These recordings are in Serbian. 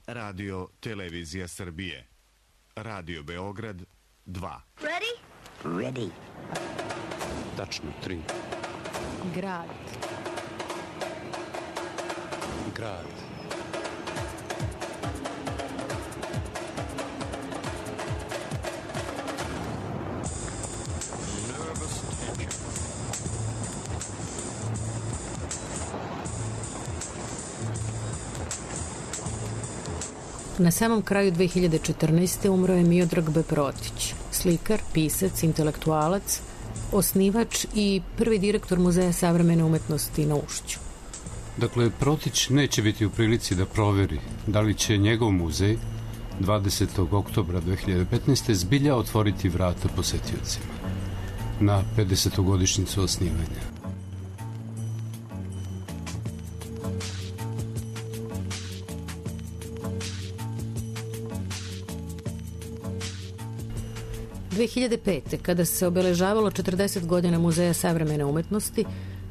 Radio Televizija Srbije. Radio Beograd 2. Ready? Ready. Tačno 3. Grad. Grad. Nervous tension. Na samom kraju 2014. umro je Miodrag B. Protić, slikar, pisac, intelektualac, osnivač i prvi direktor Muzeja savremene umetnosti na Ušću. Dakle, Protić neće biti u prilici da proveri da li će njegov muzej 20. oktobra 2015. zbilja otvoriti vrata posetiocima na 50. osnivanja. U 2005. kada se obeležavalo 40 godina Muzeja savremene umetnosti,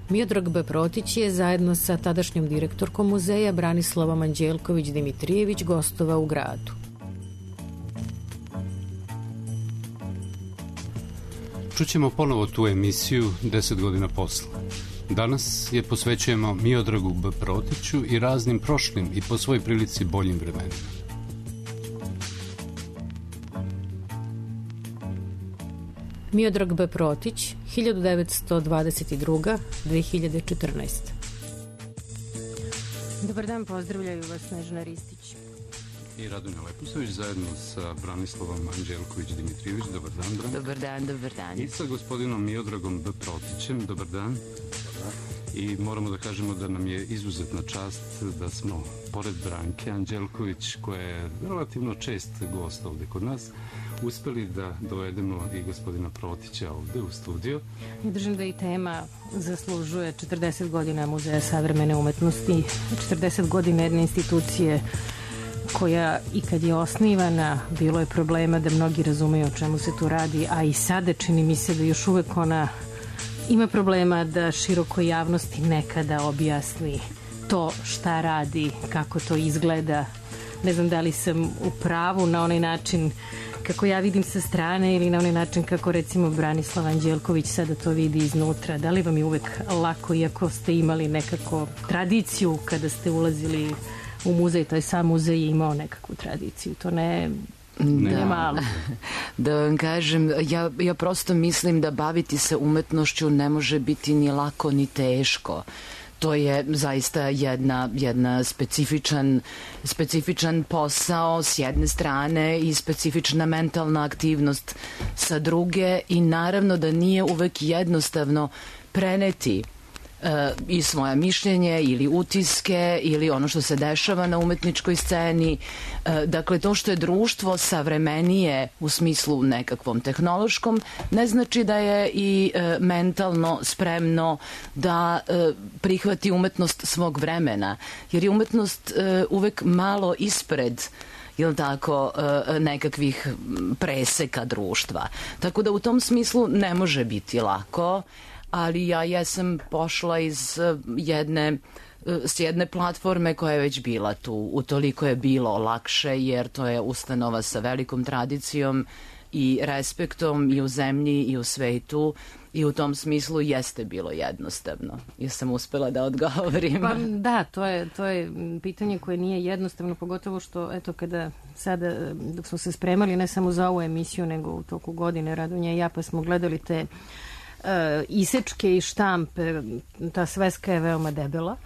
Miodrag B. Protić je zajedno sa tadašnjom direktorkom muzeja Branislavom Anđelković-Dimitrijević gostovao u gradu. Čućemo ponovo tu emisiju 10 godina posle. Danas je posvećujemo Miodragu B. Protiću i raznim prošlim i po svoj prilici boljim vremenima. Miodrag B. Protić, 1922. 2014. Dobar dan, pozdravljaju vas Snežana Ristić I Radonja Lepusović zajedno sa Branislavom Anđelković-Dimitrijević. Dobar dan, Bran. Dobar dan, dobar dan. I sa gospodinom Miodragom B. Protićem. Dobar dan. I moramo da kažemo da nam je izuzetna čast da smo, pored Branke Anđelković, koja je relativno čest gost ovde kod nas, uspeli da dovedemo i gospodina Protića ovde u studio. Ja držim da i tema zaslužuje 40 godina Muzeja savremene umetnosti, 40 godina jedne institucije koja i kad je osnivana bilo je problema da mnogi razumeju o čemu se tu radi, a i sada čini mi se da još uvek ona ima problema da širokoj javnosti nekada objasni to šta radi, kako to izgleda. Ne znam da li sam u pravu na onaj način kako ja vidim sa strane ili na onaj način kako recimo Branislav Anđelković sada to vidi iznutra. Da li vam je uvek lako, iako ste imali nekako tradiciju kada ste ulazili u muzej, to je sam muzej imao nekakvu tradiciju, to ne malo. Da vam kažem, ja prosto mislim da baviti se umetnošću ne može biti ni lako ni teško. To je zaista jedna specifičan posao s jedne strane i specifična mentalna aktivnost sa druge i naravno da nije uvek jednostavno preneti i svoje mišljenje ili utiske ili ono što se dešava na umetničkoj sceni. Dakle, to što je društvo savremenije u smislu nekakvom tehnološkom ne znači da je i mentalno spremno da prihvati umetnost svog vremena, jer je umetnost uvek malo ispred nekakvih preseka društva. Tako da u tom smislu ne može biti lako, ali ja jesam pošla s jedne platforme koja je već bila tu. Utoliko je bilo lakše jer to je ustanova sa velikom tradicijom i respektom i u zemlji i u svetu i u tom smislu jeste bilo jednostavno. Jesam uspela da odgovorim. Pa da, to je pitanje koje nije jednostavno, pogotovo što eto kada sada dok smo se spremali ne samo za ovu emisiju nego u toku godine Radonja i ja pa smo gledali te isečke i štampe, ta sveska je veoma debela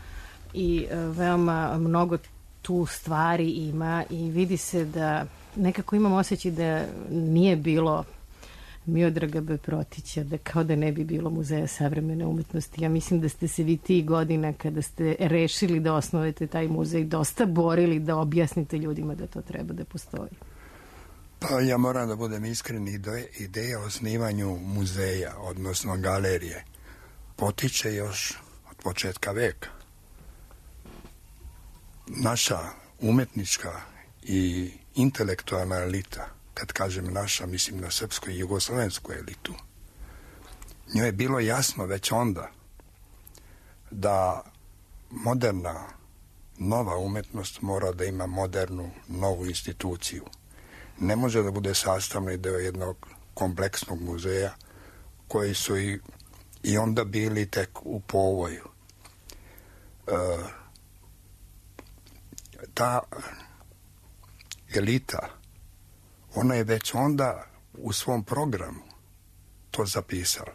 i veoma mnogo tu stvari ima i vidi se da nekako imam osjećaj da nije bilo Miodraga B. Protića, da kao da ne bi bilo Muzeja savremene umetnosti. Ja mislim da ste se vi tih godina kada ste rešili da osnovete taj muzej dosta borili da objasnite ljudima da to treba da postoji. Pa ja moram da budem iskren, ideja o osnivanju muzeja, odnosno galerije, potiče još od početka veka. Naša umetnička i intelektualna elita, kad kažem naša, mislim na srpsku i jugoslovensku elitu, njoj je bilo jasno već onda da moderna nova umetnost mora da ima modernu, novu instituciju. Ne može da bude sastavni deo jednog kompleksnog muzeja koji su i onda bili tek u povoju. Ta elita, ona je već onda u svom programu to zapisala.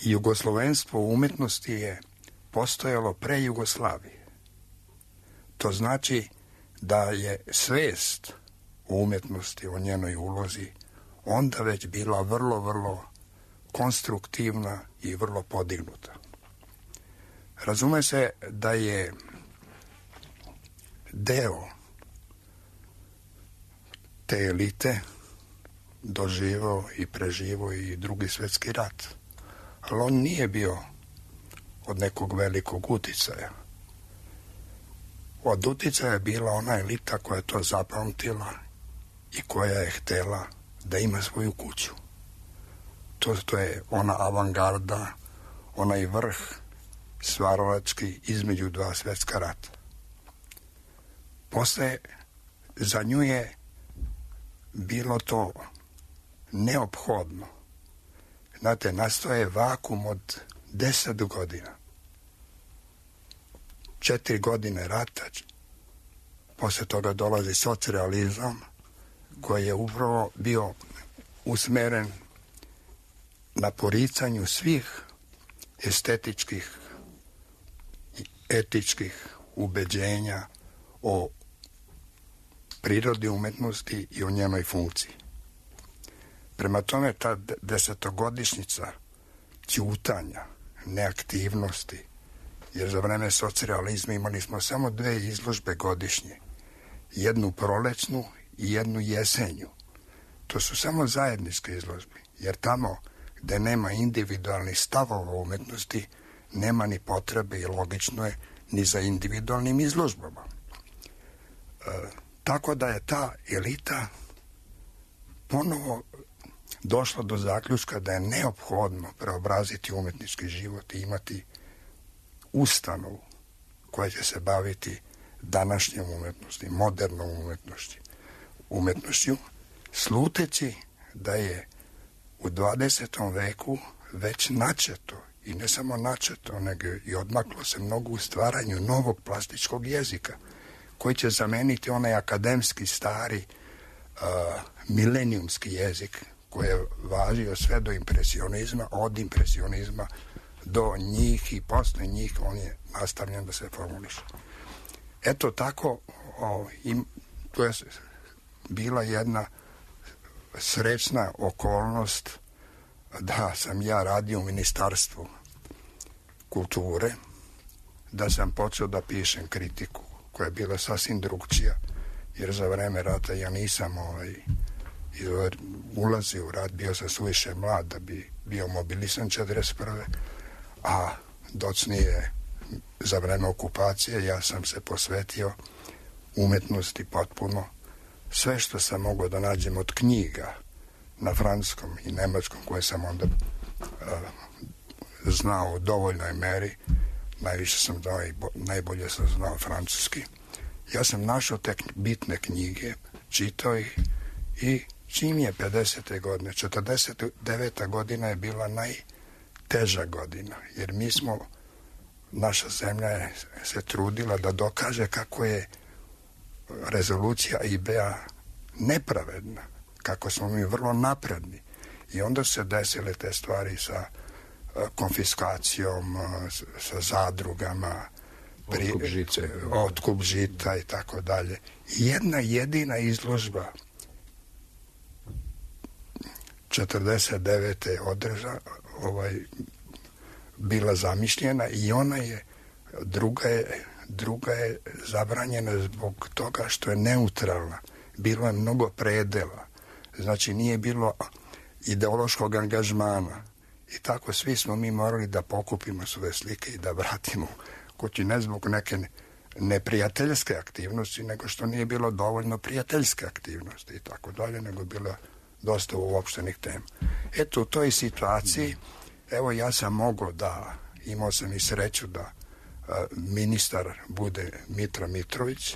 I jugoslovenstvo u umetnosti je postojalo pre Jugoslavije. To znači da je svest o umetnosti, o njenoj ulozi, onda već bila vrlo, vrlo konstruktivna i vrlo podignuta. Razume se da je deo te elite doživao i preživao i Drugi svjetski rat. Ali on nije bio od nekog velikog uticaja. Od uticaja je bila ona elita koja je to zapamtila i koja je htela da ima svoju kuću. To je ona avangarda, onaj vrh stvaralački između dva svjetska rata. Posle za nju je bilo to neophodno. Znate, nastao je vakum od 10 godina. 4 godine rata, posle toga dolazi socrealizam koji je upravo bio usmeren na poricanju svih estetičkih i etičkih ubeđenja o prirodi umetnosti i o njenoj funkciji. Prema tome, ta 10-godišnjica ćutanja, neaktivnosti, jer za vreme socrealizma imali smo samo 2 izložbe godišnje, jednu prolećnu i jednu jesenju. To su samo zajedničke izložbe, jer tamo gde nema individualnih stavova u umetnosti, nema ni potrebe i logično je ni za individualnim izložbama. Tako da je ta elita ponovo došla do zaključka da je neophodno preobraziti umetnički život i imati ustanovu koja će se baviti današnjom umetnosti, modernom umetnošću, sluteći da je u 20. veku već načeto, i ne samo načeto, nego i odmaklo se mnogo u stvaranju novog plastičkog jezika, koji će zameniti onaj akademski stari milenijumski jezik koji je važio sve do impresionizma, od impresionizma do njih i posle njih on je nastavljen da se formuliše. Eto tako, to je bila jedna srećna okolnost da sam ja radio u Ministarstvu kulture, da sam počeo da pišem kritiku koja je bila sasvim drugčija, jer za vreme rata ja nisam ulazio u rat, bio sam suviše mlad da bi bio mobilisan 1941. A docnije za vreme okupacije ja sam se posvetio umetnosti potpuno. Sve što sam mogao da nađem od knjiga na francuskom i nemačkom koje sam onda znao u dovoljnoj meri, najviše sam znao i najbolje sam znao francuski. Ja sam našao te bitne knjige, čitao ih i čim je 50. godine, 49. godina je bila najteža godina, jer naša zemlja je se trudila da dokaže kako je rezolucija IB-a nepravedna, kako smo mi vrlo napredni. I onda se desile te stvari sa konfiskacijom, sa zadrugama, otkup žita i tako dalje. Jedna jedina izložba 49. bila zamišljena i ona je druga je zabranjena zbog toga što je neutralna. Bilo je mnogo predela. Znači nije bilo ideološkog angažmana. I tako svi smo mi morali da pokupimo svoje slike i da vratimo kući, ne zbog neke neprijateljske aktivnosti, nego što nije bilo dovoljno prijateljske aktivnosti i tako dalje, nego bilo dosta uopštenih tema. Eto, u toj situaciji, evo ja sam mogao imao sam i sreću da ministar bude Mitra Mitrović,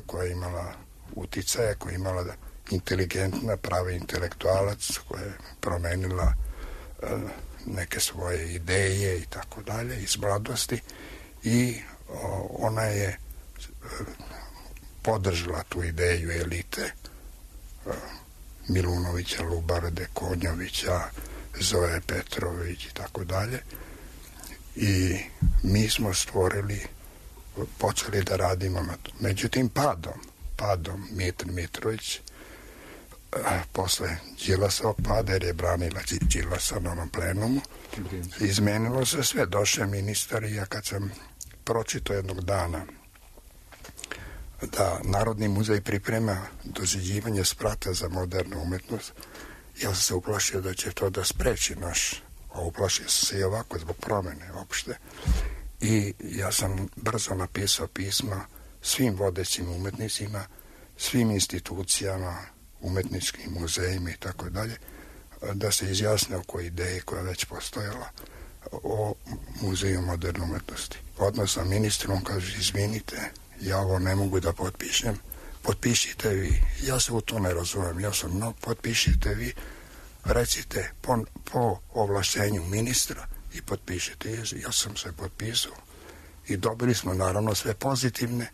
koja je imala uticaja, koja je imala inteligentna, pravi intelektualac, koja je promenila neke svoje ideje i tako dalje iz mladosti, i ona je podržala tu ideju elite, Milunovića, Lubarde, Konjovića, Zoe Petrović i tako dalje, i mi smo počeli da radimo na to. Međutim, padom Mitar Mitrović, posle Đilasovog pada, jer je branila Đilasa na onom plenumu, izmenilo se sve. Došao ministar i ja kad sam pročitao jednog dana da Narodni muzej priprema doziđivanje sprata za modernu umetnost, ja sam se uplašio da će to da spreči a uplašio sam se i ovako zbog promene opšte, i ja sam brzo napisao pisma svim vodećim umetnicima, svim institucijama, umetničkim muzejima i tako dalje, da se izjasne oko ideje koja je već postojala o muzeju moderne umetnosti. Odmah sa ministrom kaže, izvinite, ja ovo ne mogu da potpišem, potpišite vi. Ja se u to ne razumem, potpišite vi, recite po ovlašćenju ministra i potpišite. Ja sam se potpisao i dobili smo naravno sve pozitivne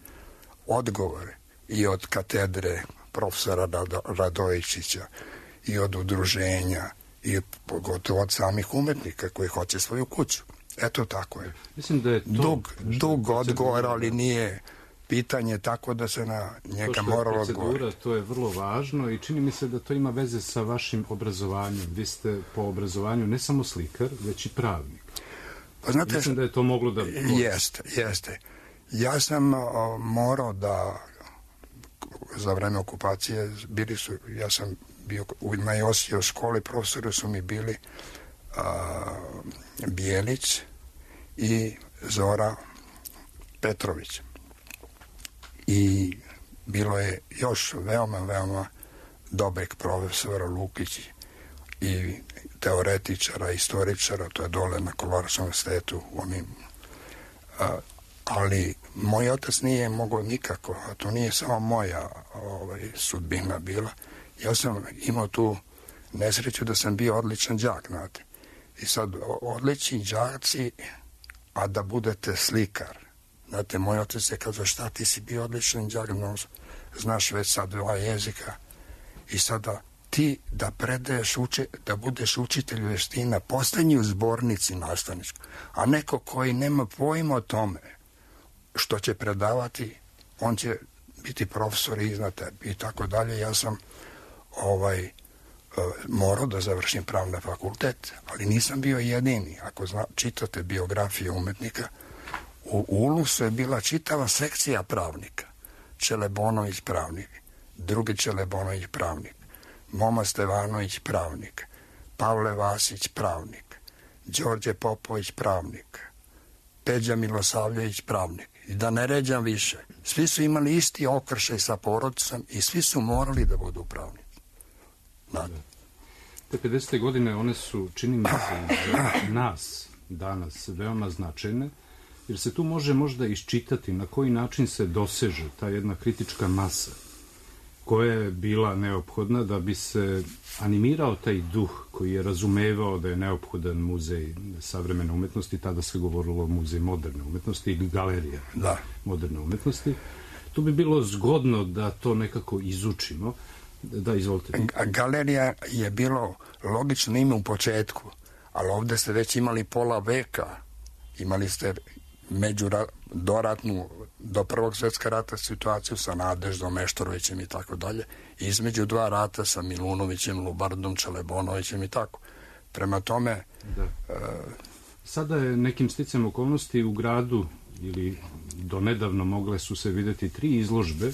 odgovore i od katedre profesora Radojičića i od udruženja i pogotovo od samih umetnika koji hoće svoju kuću. Eto, tako je. Mislim da je to dug odgovor, ali nije pitanje tako da se na njega moralo odgovoriti. To je vrlo važno i čini mi se da to ima veze sa vašim obrazovanjem. Vi ste po obrazovanju ne samo slikar, već i pravnik. Pa znate, mislim da je to moglo da... Jeste. Ja sam morao da za vreme okupacije ja sam bio na Josijevoj školi, profesori su mi bili Bijelić i Zora Petrović. I bilo je još veoma dobrih profesora, Lukić i teoretičara, istoričara, to je dole na Kolorarskom univerzitetu, ali moj otac nije mogao nikako, a to nije samo moja sudbina bila. Ja sam imao tu nesreću da sam bio odličan đak, znate. I sad, odlični đaci, a da budete slikar. Znate, moj otac je kazao, šta ti si bio odličan đak, znaš već sad 2 jezika, i sada ti da predaješ, da budeš učitelj veština, postani u zbornici nastavničkoj, a neko koji nema pojma o tome što će predavati, on će biti profesor iznad tebi i tako dalje. Ja sam morao da završim pravni fakultet, ali nisam bio jedini. Ako čitate biografije umetnika, u Ulusu je bila čitava sekcija pravnika. Čelebonović pravnik, drugi Čelebonović pravnik, Moma Stevanović pravnik, Pavle Vasić pravnik, Đorđe Popović pravnik, Peđa Milosavljević pravnik. I da ne ređam više. Svi su imali isti okršaj sa porodicom i svi su morali da budu pravnici. Te 50. godine one su, čini mi se, za nas danas veoma značajne, jer se tu može možda iščitati na koji način se doseže ta jedna kritička masa koja je bila neophodna da bi se animirao taj duh koji je razumevao da je neophodan muzej savremene umetnosti, tada se govorilo o muzej moderne umetnosti i galerija moderne umetnosti. Tu bi bilo zgodno da to nekako izučimo. Da, izvolite. Galerija je bilo logično ime u početku, ali ovde ste već imali pola veka. Imali ste doratnu, do Prvog svjetskog rata situaciju sa Nadeždom, Meštorovićem i tako dalje. Između 2 rata sa Milunovićem, Lubardom, Čelebonovićem i tako. Prema tome... Sada je nekim sticajem okolnosti u gradu, ili do nedavno mogle su se videti 3 izložbe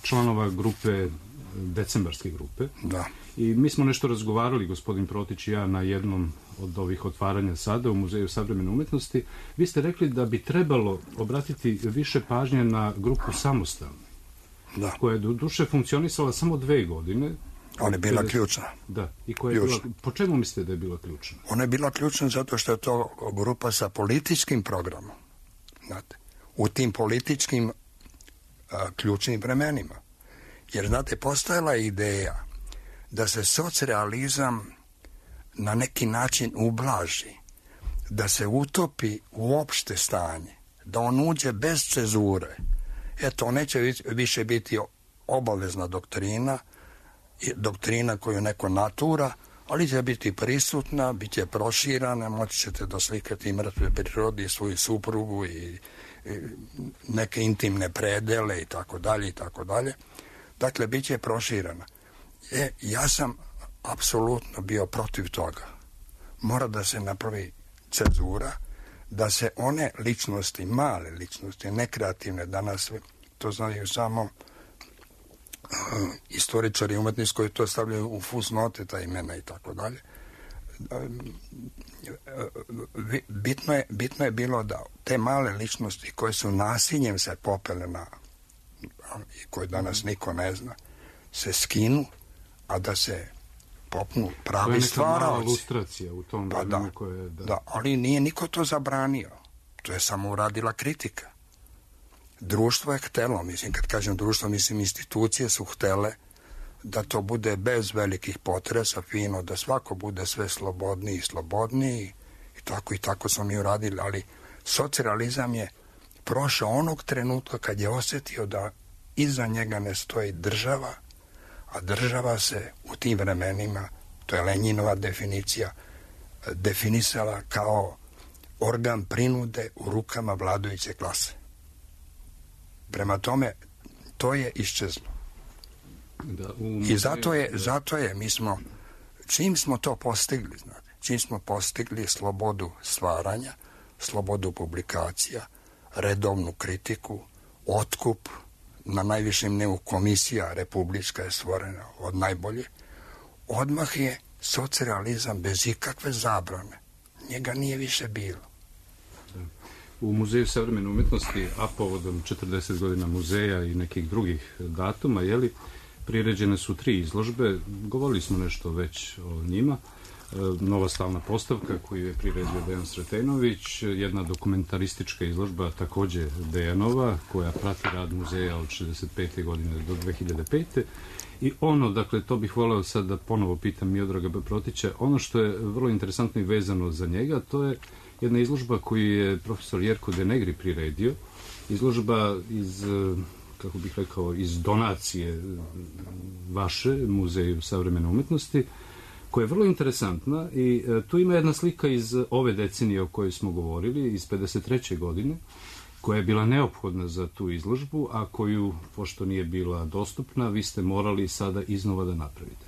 članova grupe, decembarske grupe. Da. I mi smo nešto razgovarali, gospodin Protić i ja, na jednom od ovih otvaranja sada u Muzeju savremene umetnosti. Vi ste rekli da bi trebalo obratiti više pažnje na grupu Samostalni, koja je do duše funkcionisala samo 2 godine. Ona je bila ključna. Da. I koja je bila, po čemu mislite da je bila ključna? Ona je bila ključna zato što je to grupa sa političkim programom. znate, u tim političkim ključnim vremenima. Jer, znate, postojala je ideja da se socrealizam na neki način ublaži, da se utopi u opšte stanje, da on uđe bez cezure. Eto, neće više biti obavezna doktrina koju neko natura, ali će biti prisutna, bit će proširana, moći ćete da slikati mrtve prirodi, svoju suprugu i neke intimne predele i tako dalje i tako dalje. Dakle, bit će proširana. Ja sam apsolutno bio protiv toga. Mora da se napravi cenzura, da se one ličnosti, male ličnosti, nekreativne, danas to znaju samo istoričari umetnici koji to stavljaju u fusnote, ta imena i tako dalje. Bitno je bilo da te male ličnosti koje su nasiljem se popele i koje danas niko ne zna, se skinu, a da se popnu pravi stvaraoci. To je neka mala ilustracija u tom vremenu koje... Da, ali nije niko to zabranio. To je samo uradila kritika. Društvo je htelo, mislim, kad kažem društvo, mislim, institucije su htele da to bude bez velikih potresa, fino, da svako bude sve slobodniji i slobodniji i tako smo mi uradili, ali socrealizam je prošao onog trenutka kad je osjetio da iza njega ne stoji država, a država se u tim vremenima, to je Lenjinova definicija, definisala kao organ prinude u rukama vladajuće klase. Prema tome, to je iščezlo. I zato je, mi smo, čim smo to postigli, znate, čim smo postigli slobodu stvaranja, slobodu publikacija, redovnu kritiku, otkup, na najvišem nivou komisija republička je stvorena od najbolje, odmah je socrealizam bez ikakve zabrane. Njega nije više bilo. U Muzeju savremene umetnosti, a povodom 40 godina muzeja i nekih drugih datuma, priređene su 3 izložbe. Govorili smo nešto već o njima. Nova stalna postavka koju je priredio Dejan Sretenović, jedna dokumentaristička izložba takođe Dejanova, koja prati rad muzeja od 65. godine do 2005. I ono, dakle, to bih voleo sad da ponovo pitam Miodraga B. Protića, ono što je vrlo interesantno i vezano za njega, to je jedna izložba koju je profesor Jerko Denegri priredio, izložba iz, kako bih rekao, iz donacije vaše Muzeju savremene umetnosti, koja je vrlo interesantna i tu ima jedna slika iz ove decenije o kojoj smo govorili, iz 53. godine, koja je bila neophodna za tu izložbu, a koju, pošto nije bila dostupna, vi ste morali sada iznova da napravite.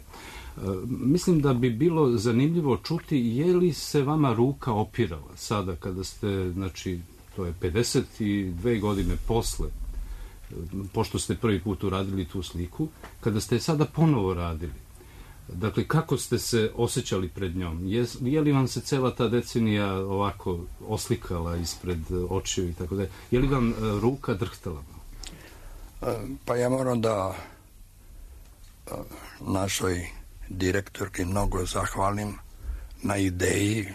Mislim da bi bilo zanimljivo čuti je li se vama ruka opirala sada kada ste, znači, to je 52 godine posle, pošto ste prvi put uradili tu sliku, kada ste sada ponovo radili. Dakle, kako ste se osjećali pred njom? Je li vam se cela ta decenija ovako oslikala ispred očiju i tako da? Je li vam ruka drhtala? Pa ja moram da našoj direktorki mnogo zahvalim na ideji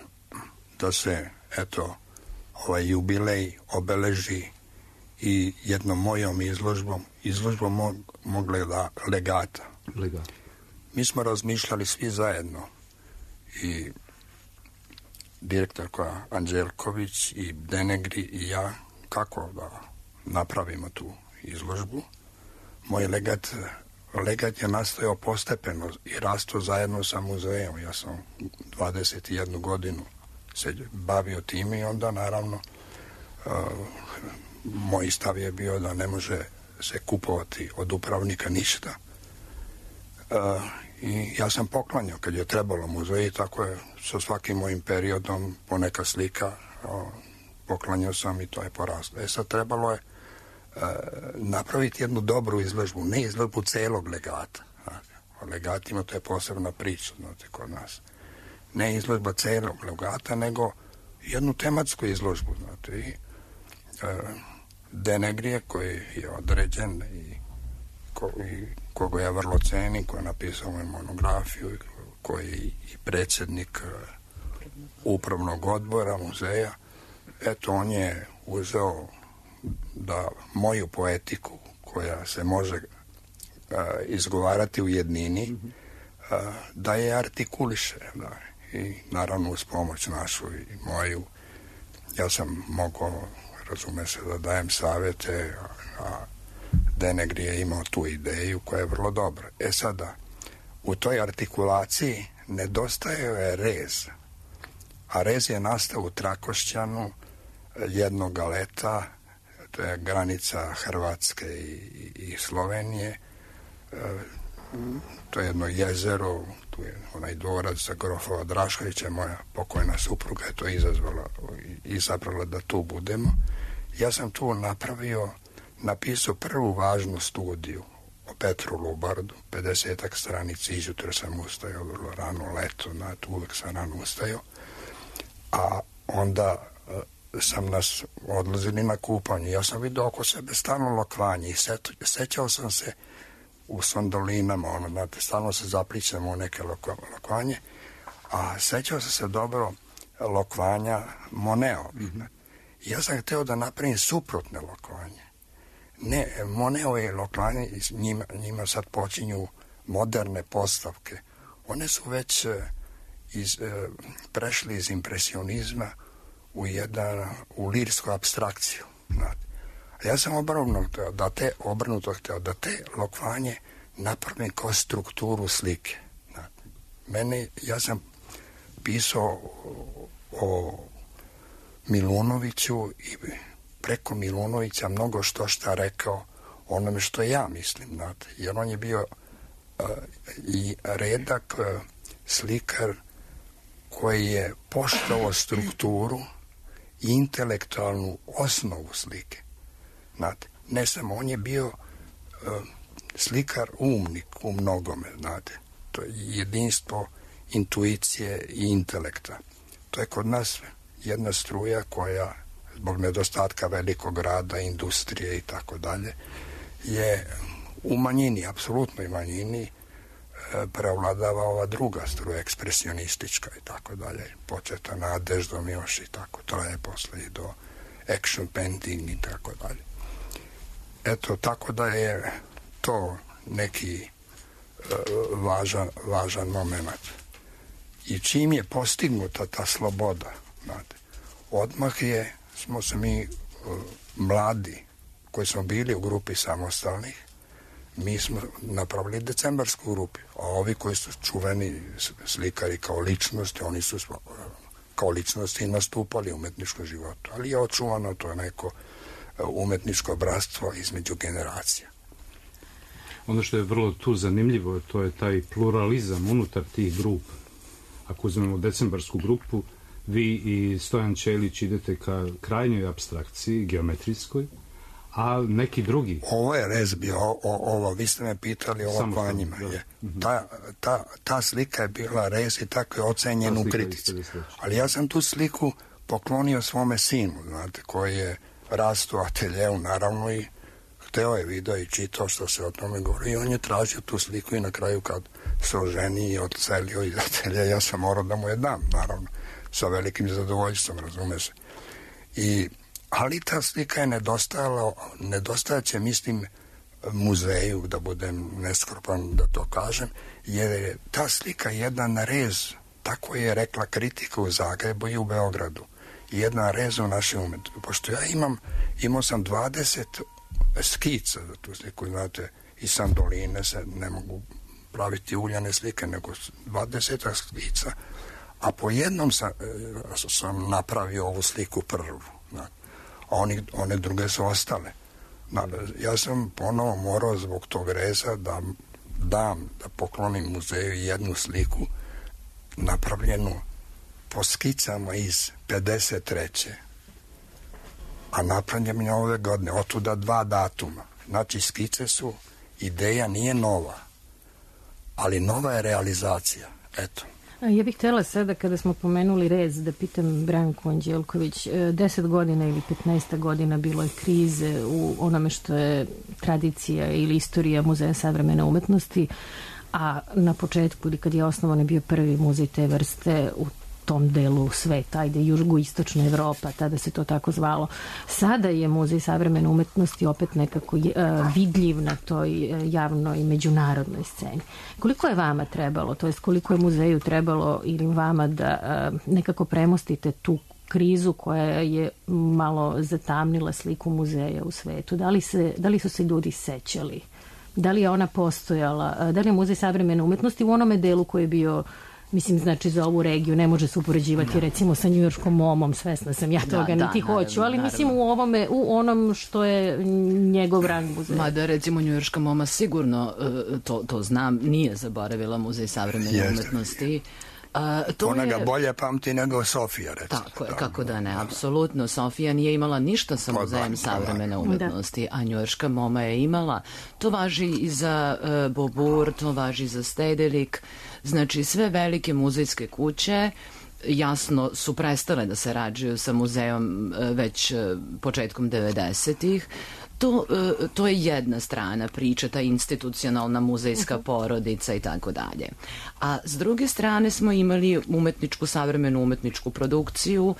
da se, eto, ovaj jubilej obeleži i jednom mojom izložbom mog legata. Mi smo razmišljali svi zajedno, i direktorka Anđelković i Denegri i ja, kako da napravimo tu izložbu. Moj legat je nastojao postepeno i rastao zajedno sa muzejom. Ja sam 21 godinu se bavio tim i onda naravno moj stav je bio da ne može se kupovati od upravnika ništa. I ja sam poklanjao kad je trebalo muzeji, tako je sa svakim mojim periodom poneka slika poklanjao sam i to je poraslo. Sad trebalo je napraviti jednu dobru izložbu, ne izložbu celog legata. O legatima to je posebna priča, znate, kod nas. Ne izložba celog legata, nego jednu tematsku izložbu, znate. I Denegrije koji je određen i koga ja vrlo cenim, koji je napisao moju monografiju, koji je i predsjednik upravnog odbora muzeja. eto, on je uzeo da moju poetiku, koja se može izgovarati u jednini, da je artikuliše. Da. I naravno uz pomoć našu i moju, ja sam mogao, razume se, da dajem savete, a Denegri je imao tu ideju koja je vrlo dobra. Sada, u toj artikulaciji nedostaje je rez, a rez je nastao u Trakošćanu jednog leta, to je granica Hrvatske i Slovenije, to je jedno jezero, tu je onaj dvorac za grofova Draškovića, moja pokojna supruga je to izabrala da tu budemo. Ja sam tu napisao prvu važnu studiju o Petru Lubardu, 50-ak stranici, izjutra sam ustajao vrlo rano, leto, uvek sam rano ustajao, a onda sam nas odlazili na kupanje. Ja sam vidio oko sebe stalno lokvanje i sećao sam se u sondolinama, stalno se zaplićemo u neke lokvanje, a sećao sam se dobro lokvanja Moneo. Ja sam hteo da napravim suprotne lokvanje. Ne, Moneo je lokvanje, njima sad počinju moderne postavke. One su već prešli iz impresionizma u lirsku abstrakciju. A ja sam obrnuto hteo da te lokvanje napravim kao strukturu slike. Ja sam pisao o Milunoviću i preko Milunovića mnogo šta rekao onome što ja mislim, jer on je bio i redak slikar koji je poštovao strukturu i intelektualnu osnovu slike. Ne samo, on je bio slikar umnik u mnogome, to je jedinstvo intuicije i intelekta. To je kod nas jedna struja koja, zbog nedostatka velikog rada, industrije i tako dalje, je u manjini, apsolutnoj manjini, preovladava ova druga struja, ekspresionistička i tako dalje, početa Nadeždom još i tako, traje posle i do action painting i tako dalje. Eto, tako da je to neki važan moment. I čim je postignuta ta sloboda, odmah smo se mi mladi, koji smo bili u grupi samostalnih, mi smo napravili decembarsku grupu, a ovi koji su čuveni slikari kao ličnosti, oni su kao ličnosti nastupali u umetničkom životu, ali je očuvano to neko umetničko bratstvo između generacija. Ono što je vrlo tu zanimljivo, to je taj pluralizam unutar tih grupa. Ako uzmemo decembarsku grupu, vi i Stojan Ćelić idete ka krajnjoj apstrakciji, geometrijskoj, a neki drugi. Ovo je rez bio, vi ste me pitali o lokvanjima. Ta slika je bila rez i tako je ocenjen u kritici. Ali ja sam tu sliku poklonio svome sinu, koji je rastao u ateljeu, naravno, i hteo je video i čitao što se o tome govori i on je tražio tu sliku i na kraju kad se oženi i odselio iz atelja, ja sam morao da mu je dam, naravno, sa velikim zadovoljstvom, razume se. Ali ta slika je nedostajaće, mislim, muzeju, da budem neskropan da to kažem, jer je ta slika jedan rez, tako je rekla kritika u Zagrebu i u Beogradu, jedan rez u našem umetu. Pošto ja imao sam 20 skica za tu sliku, znate, i sandoline se ne mogu praviti uljane slike, nego 20 skica, a po jednom sam napravio ovu sliku prvu, a one druge su ostale. Ja sam ponovo morao zbog tog reza da poklonim muzeju jednu sliku napravljenu po skicama iz 53. A napravljen je ove godine, otuda 2 datuma. Znači, skice su, ideja nije nova, ali nova je realizacija. Eto. Ja bih htjela sada, kada smo pomenuli rez, da pitam Branku Anđelković, 10 godina ili 15 godina bilo je krize u onome što je tradicija ili istorija Muzeja savremene umetnosti, a na početku, ili kad je osnovan, je bio prvi muzej te vrste u tom delu sveta, ajde jugoistočna Evropa, tada se to tako zvalo. Sada je Muzej savremene umetnosti opet nekako vidljiv na toj javnoj međunarodnoj sceni. Koliko je vama trebalo, to jest koliko je muzeju trebalo ili vama da nekako premostite tu krizu koja je malo zatamnila sliku muzeja u svetu? Da li su se ljudi sećali? Da li je ona postojala? Da li je Muzej savremene umetnosti u onome delu koji je bio, mislim, znači za ovu regiju ne može se upoređivati recimo sa njujorškom MoMom, svesna sam ja toga, niti hoću, ali mislim u onom što je njegov rang muzeja. Mada recimo njujorška MoMa sigurno, to znam, nije zaboravila Muzej savremene umetnosti. Ona ga bolje pamti nego Sofija, recimo. Tako je, kako da ne, apsolutno. Sofija nije imala ništa sa Muzejem savremene umetnosti, a njujorška MoMa je imala. To važi i za Beaubourg, to važi za Stedelijk. Znači, sve velike muzejske kuće jasno su prestale da sarađuju sa muzejom već početkom 90-ih. To je jedna strana priče, ta institucionalna muzejska porodica i tako dalje. A s druge strane smo imali savremenu umetničku produkciju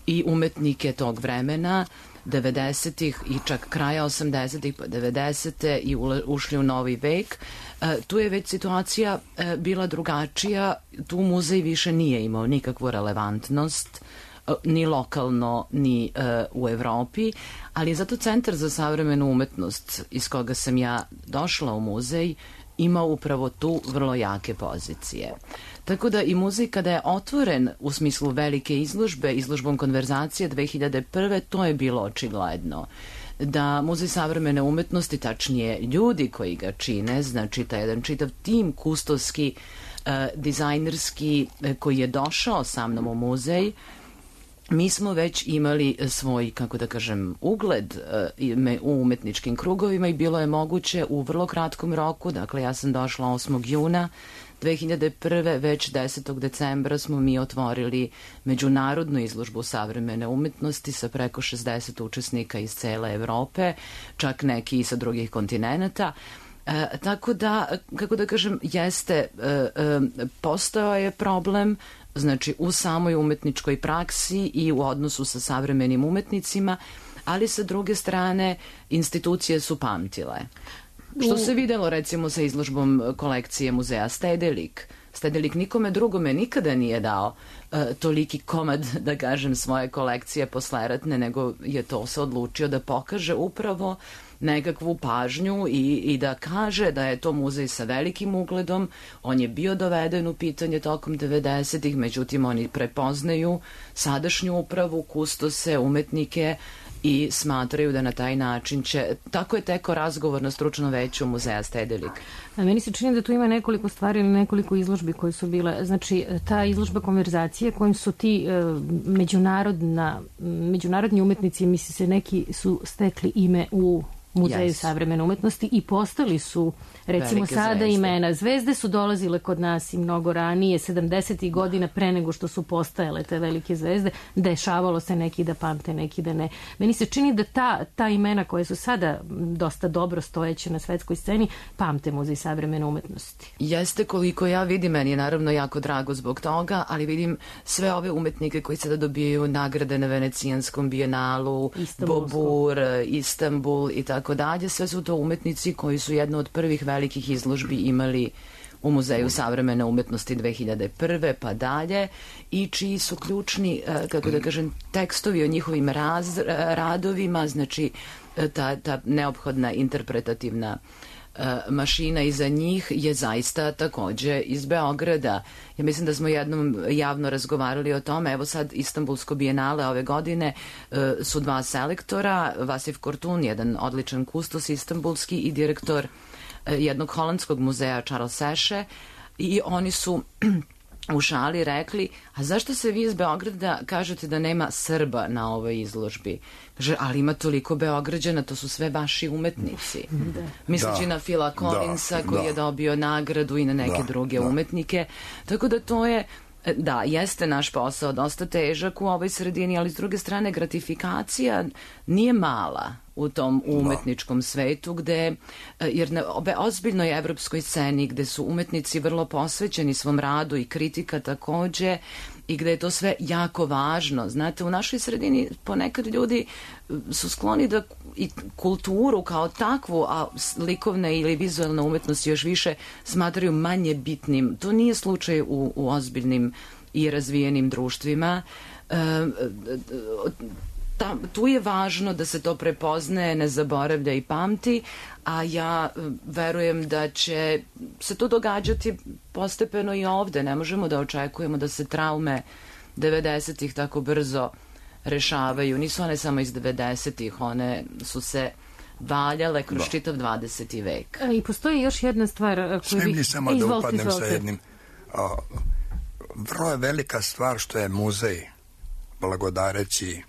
i umetnike tog vremena, 90-ih i čak kraja 80-ih, pa 90-te i ušli u novi vek. Tu je već situacija bila drugačija, tu muzej više nije imao nikakvu relevantnost, ni lokalno, ni u Evropi, ali je zato Centar za savremenu umetnost iz koga sam ja došla u muzej imao upravo tu vrlo jake pozicije. Tako da i muzej kada je otvoren u smislu velike izložbe, izložbom Konverzacije 2001. to je bilo očigledno. Da Muzej savremene umetnosti, tačnije ljudi koji ga čine, znači taj jedan čitav tim kustovski, dizajnerski koji je došao sa mnom u muzej, mi smo već imali svoj, kako da kažem, ugled u umetničkim krugovima i bilo je moguće u vrlo kratkom roku, dakle ja sam došla 8. juna 2001. Već 10. decembra smo mi otvorili međunarodnu izložbu savremene umetnosti sa preko 60 učesnika iz cele Evrope, čak neki i sa drugih kontinenata. Tako da, kako da kažem, postojao je problem, znači u samoj umetničkoj praksi i u odnosu sa savremenim umetnicima, ali sa druge strane institucije su pamtile. Što se videlo recimo sa izložbom kolekcije muzeja Stedelijk. Stedelijk nikome drugome nikada nije dao toliki komad, da kažem, svoje kolekcije posleratne, nego je to se odlučio da pokaže upravo nekakvu pažnju i da kaže da je to muzej sa velikim ugledom. On je bio doveden u pitanje tokom 90-ih, međutim oni prepoznaju sadašnju upravu, kustose, umetnike i smatraju da na taj način će... Tako je teko razgovor na stručnom veću muzeja Stedelijk. Meni se čini da tu ima nekoliko stvari ili nekoliko izložbi koje su bile. Znači, ta izložba Konverzacije kojim su ti međunarodni umetnici, misli se, neki su stekli ime u Muzeju savremene umetnosti i postali su, recimo velike sada zvezde. Imena. Zvezde su dolazile kod nas i mnogo ranije, 70. godina pre nego što su postajale te velike zvezde. Dešavalo se neki da pamte, neki da ne. Meni se čini da ta imena koje su sada dosta dobro stojeće na svetskoj sceni pamte Muzej savremene umetnosti. Jeste, koliko ja vidim, meni je naravno jako drago zbog toga, ali vidim sve ove umetnike koji sada dobijaju nagrade na Venecijanskom bijenalu, Beaubourg, Istanbul i tako dalje, sve su to umetnici koji su jednu od prvih velikih izložbi imali u Muzeju savremene umetnosti 2001. pa dalje i čiji su ključni, kako da kažem, tekstovi o njihovim radovima, znači ta neophodna interpretativna mašina iza njih je zaista takođe iz Beograda. Ja mislim da smo jednom javno razgovarali o tome. Evo sad Istanbulsko bijenale ove godine su dva selektora, Vasif Kortun, jedan odličan kustos istanbulski i direktor jednog holandskog muzeja Charles Seše, i oni su u šali rekli, a zašto se vi iz Beograda kažete da nema Srba na ovoj izložbi? Kaže, ali ima toliko Beograđana, to su sve vaši umetnici. Misleći na Phila Collinsa koji je dobio nagradu i na neke druge umetnike. Tako da to je, da, jeste naš posao dosta težak u ovoj sredini, ali s druge strane gratifikacija nije mala u tom umetničkom svetu, gde, jer na ozbiljnoj evropskoj sceni gde su umetnici vrlo posvećeni svom radu i kritika takođe, i gde je to sve jako važno. Znate, u našoj sredini ponekad ljudi su skloni da i kulturu kao takvu, a likovne ili vizualne umetnosti još više smatraju manje bitnim. To nije slučaj u ozbiljnim i razvijenim društvima. Tu je važno da se to prepoznaje, ne zaboravlja i pamti, a ja verujem da će se to događati postepeno i ovde. Ne možemo da očekujemo da se traume 90-ih tako brzo rešavaju. Nisu one samo iz 90-ih, one su se valjale kroz čitav 20. vek. I postoji još jedna stvar koju Smijem li samo da upadnem sa jednim? Vrlo je velika stvar što je muzej, blagodareći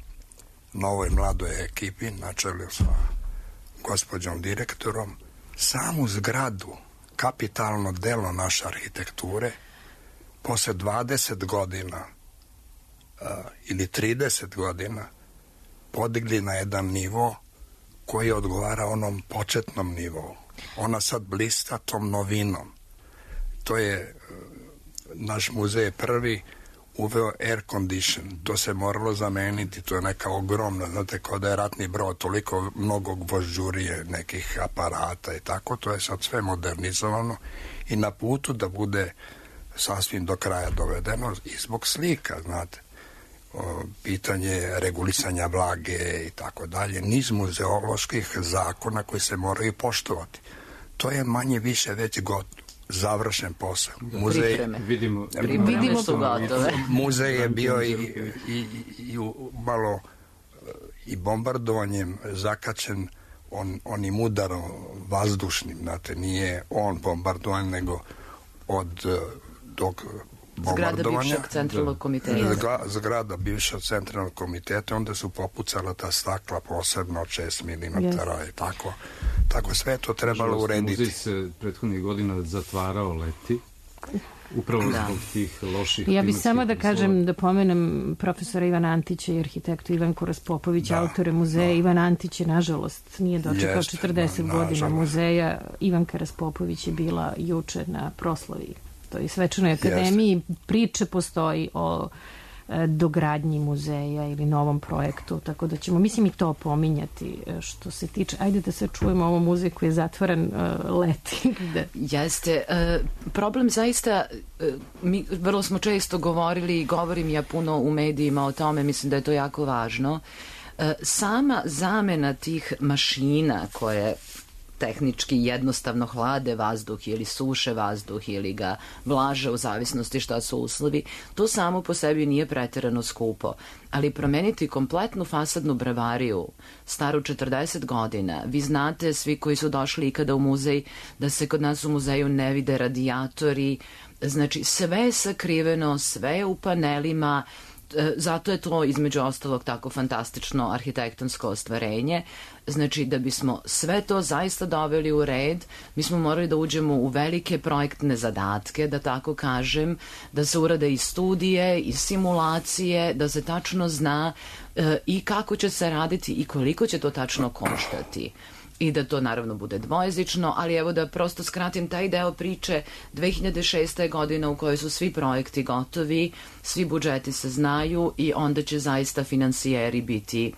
novoj mladoj ekipi, na čelu sa gospođom direktorom, samu zgradu, kapitalno delo naše arhitekture, posle 20 godina ili 30 godina podigli na jedan nivo koji odgovara onom početnom nivou. Ona sad blista tom novinom. To je, naš muzej je prvi uveo air condition. To se moralo zameniti, to je neka ogromna, znate, kao da je ratni brod, toliko mnogo gvožđurije, nekih aparata i tako, to je sad sve modernizovano i na putu da bude sasvim do kraja dovedeno i zbog slika, znate. Pitanje regulisanja vlage i tako dalje, niz muzeoloških zakona koji se moraju poštovati. To je manje više već završen posao. Muzej, vidimo su gotove. Muzej je bio i malo i bombardovanjem zakačen onim udarom vazdušnim, znate, nije on bombardovan, nego od dok zgrada bivšeg centralnog komiteta. Zgrada bivšeg centralnog komiteta, onda su popucala ta stakla posebno od 6 mm i tako sve to trebalo urediti. Muzej se prethodnih godina zatvarao leti, upravo zbog tih loših. Ja bih samo da kažem, da pomenem profesora Ivana Antića i arhitektu Ivanku Raspopovića, autore muzeja. Ivan Antić je, nažalost, nije dočekao 40 godina muzeja. Ivanka Raspopović je bila juče na proslavi toj svečanoj akademiji. Priče postoji o dogradnji muzeja ili novom projektu, tako da ćemo, mislim, i to pominjati što se tiče. Ajde da se čujemo ovo muzej koji je zatvoren leti. Jeste. Problem zaista, mi vrlo smo često govorili i govorim ja puno u medijima o tome, mislim da je to jako važno. Sama zamena tih mašina koje tehnički jednostavno hlade vazduh ili suše vazduh ili ga vlaže u zavisnosti šta su uslovi, to samo po sebi nije preterano skupo. Ali promeniti kompletnu fasadnu bravariju, staru 40 godina, vi znate svi koji su došli ikada u muzej da se kod nas u muzeju ne vide radijatori, znači sve je sakriveno, sve je u panelima, zato je to između ostalog tako fantastično arhitektonsko ostvarenje. Znači, da bismo sve to zaista doveli u red, mi smo morali da uđemo u velike projektne zadatke, da tako kažem, da se urade i studije, i simulacije, da se tačno zna i kako će se raditi i koliko će to tačno koštati. I da to naravno bude dvojezično, ali evo da prosto skratim taj deo priče. 2006. godina u kojoj su svi projekti gotovi, svi budžeti se znaju i onda će zaista finansijeri biti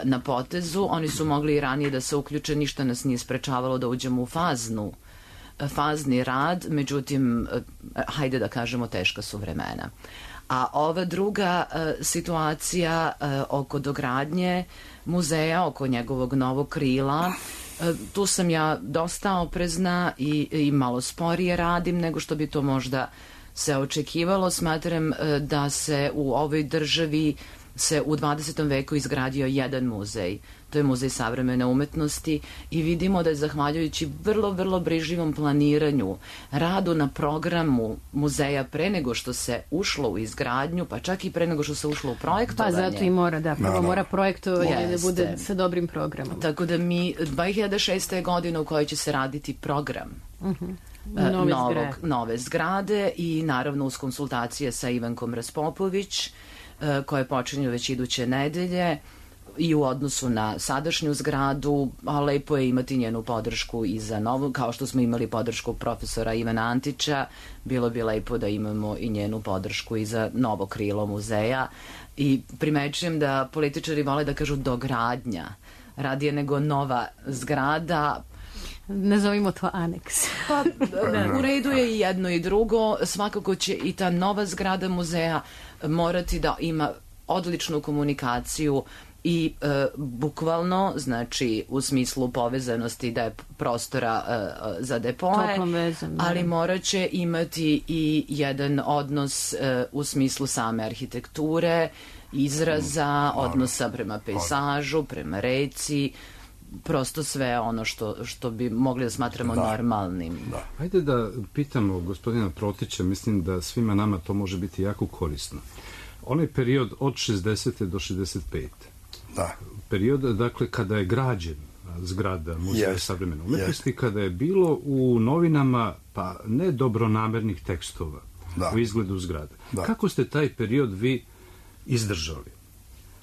na potezu. Oni su mogli i ranije da se uključe, ništa nas nije sprečavalo da uđemo u fazni rad, međutim, hajde da kažemo, teška su vremena. A ova druga situacija oko dogradnje muzeja, oko njegovog novog krila, tu sam ja dosta oprezna i malo sporije radim nego što bi to možda se očekivalo. Smatram da se u ovoj državi se u 20. veku izgradio jedan muzej. To je Muzej savremene umetnosti i vidimo da je zahvaljujući vrlo, vrlo brižljivom planiranju, radu na programu muzeja pre nego što se ušlo u izgradnju, pa čak i pre nego što se ušlo u projektovanje. Pa zato i mora, da, prvo mora projektovanje da bude sa dobrim programom. Tako da mi 2006. godine u kojoj će se raditi program nove zgrade i naravno uz konsultacije sa Ivankom Raspopović, koje počinju već iduće nedelje. i u odnosu na sadašnju zgradu, a lepo je imati njenu podršku i za novu, kao što smo imali podršku profesora Ivana Antića, bilo bi lepo da imamo i njenu podršku i za novo krilo muzeja. I primećujem da političari vole da kažu dogradnja, radije nego nova zgrada. Nazovimo to aneks. Pa, u redu je i jedno i drugo. Svakako će i ta nova zgrada muzeja morati da ima odličnu komunikaciju i bukvalno, znači u smislu povezanosti da je prostora za depoje, ali morat će imati i jedan odnos u smislu same arhitekture, izraza, odnosa prema pejsažu, prema reci, prosto sve ono što bi mogli da smatramo normalnim. Hajde da pitamo gospodina Protića, mislim da svima nama to može biti jako korisno. Onaj period od 60. do 65. Da. Period, dakle, kada je građen zgrada Muzeja savremene umetnosti, kada je bilo u novinama, pa ne dobronamernih tekstova u izgledu zgrada. Kako ste taj period vi izdržali?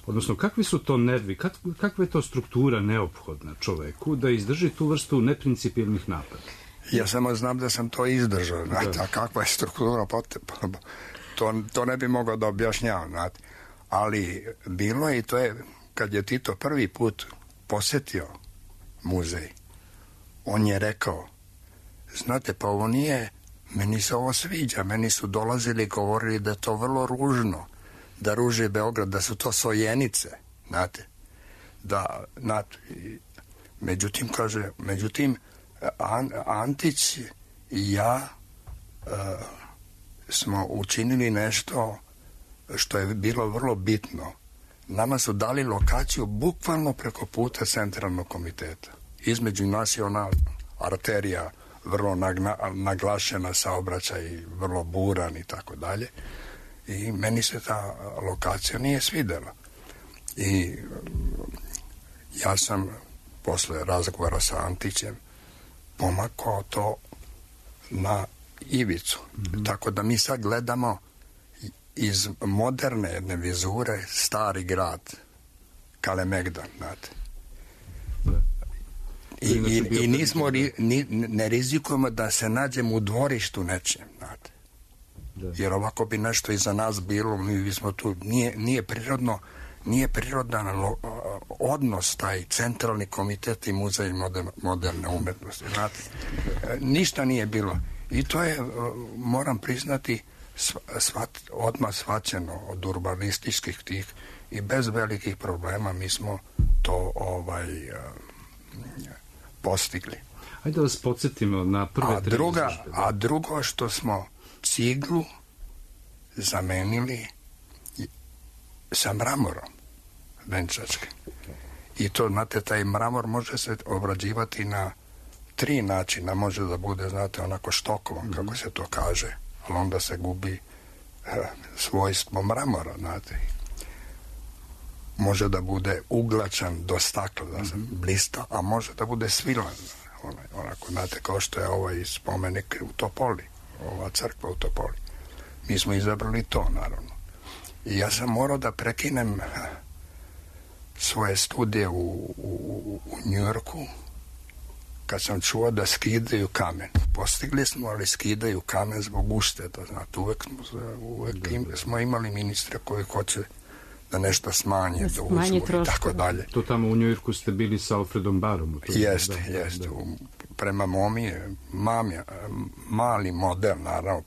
Odnosno, kakvi su to nervi, kakva je to struktura neophodna čoveku da izdrži tu vrstu neprincipijelnih napada? Ja samo znam da sam to izdržao, znate, a kakva je struktura potrebna? To ne bi mogao da objašnjavam, znate. Ali bilo je i to je, kad je Tito prvi put posetio muzej, on je rekao, znate, pa ovo nije, meni se ovo sviđa, meni su dolazili i govorili da je to vrlo ružno, da ruži Beograd, da su to sojenice, znate. Međutim, Antić i ja smo učinili nešto što je bilo vrlo bitno. Nama su dali lokaciju bukvalno preko puta centralnog komiteta. Između nas je ona arterija vrlo naglašena, saobraćaj vrlo buran i tako dalje. I meni se ta lokacija nije svidela. I ja sam posle razgovora sa Antićem pomakao to na ivicu. Tako da mi sad gledamo iz moderne jedne vizure stari grad Kalemegdan, znate. I nismo ne rizikujemo da se nađemo u dvorištu nečijem, znate. Jer ovako bi nešto iza nas bilo, mi bismo tu, nije prirodan odnos taj centralni komitet i muzej moderne umetnosti, znate. Ništa nije bilo. I to je, moram priznati, odmah shvaćeno od urbanističkih tih i bez velikih problema mi smo to postigli. Hajde da vas podsjetimo na prve tri izložbe. A drugo što smo ciglu zamenili sa mramorom venčačkim. I to, znate, taj mramor može se obrađivati na 3 načina. Može da bude, znate, onako štokovan, kako se to kaže, ali onda se gubi svojstvo mramora, znate. Može da bude uglačan do stakla, da se blista, a može da bude svilan, onako, znate, kao što je ovaj spomenik u Topoli, ova crkva u Topoli. Mi smo izabrali to, naravno. I ja sam morao da prekinem svoje studije u Njujorku kad sam čuo da skidaju kamen. Postigli smo, ali skidaju kamen zbog ušteda, znate. Uvek smo imali ministra koji hoće da nešto smanje, da uzmu i tako dalje. To tamo u Njujorku ste bili sa Alfredom Barom. Jeste. Prema momi mali model, naravno,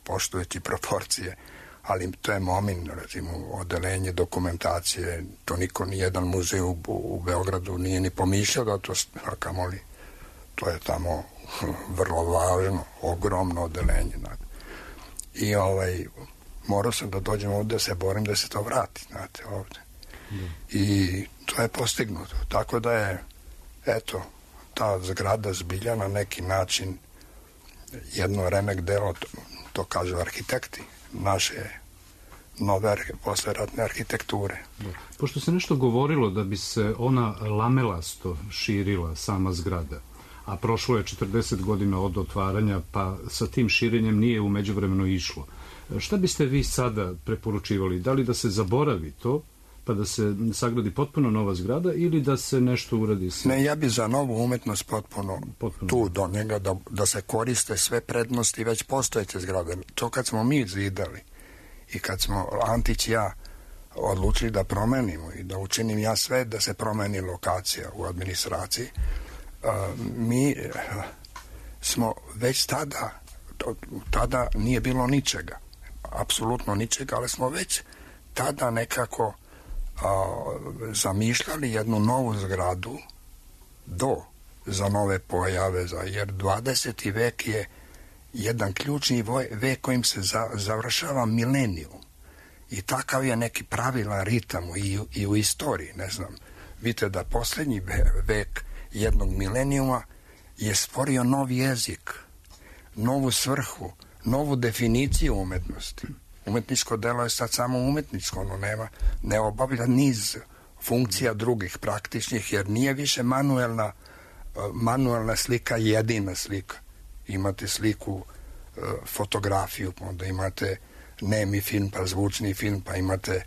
poštujući proporcije, ali to je momin, recimo, odelenje dokumentacije, to niko, nijedan muzej u Beogradu nije ni pomišljao da to, a kamoli, to je tamo vrlo važno, ogromno odelenje. I morao sam da dođem ovde da se borim da se to vrati, znate, ovde. I to je postignuto. Tako da je, eto, ta zgrada zbilja na neki način jedno remek delo, to kažu arhitekti, naše nove posleratne arhitekture. Pošto se nešto govorilo da bi se ona lamelasto širila sama zgrada, a prošlo je 40 godina od otvaranja, pa sa tim širenjem nije u međuvremenu išlo. Šta biste vi sada preporučivali? Da li da se zaboravi to, pa da se sagradi potpuno nova zgrada ili da se nešto uradi sa... Ne, ja bi za novu umetnost potpuno tu do njega, da se koriste sve prednosti već postojeće zgrade. To kad smo mi zidali i kad smo Antić i ja odlučili da promenimo i da učinim ja sve da se promeni lokacija u administraciji, mi smo već tada nije bilo ničega, apsolutno ničega, ali smo već tada nekako zamišljali jednu novu zgradu za nove pojave, jer 20. vek je jedan ključni vek kojim se završava milenijum i takav je neki pravilan ritam i u istoriji, ne znam. Vidite da posljednji vek jednog milenijuma je stvorio novi jezik, novu svrhu, novu definiciju umetnosti. Umetničko delo je sad samo umetničko, ono ne obavlja niz funkcija drugih praktičnih, jer nije više manuelna slika jedina slika. Imate sliku, fotografiju, onda imate nemi film, pa zvučni film, pa imate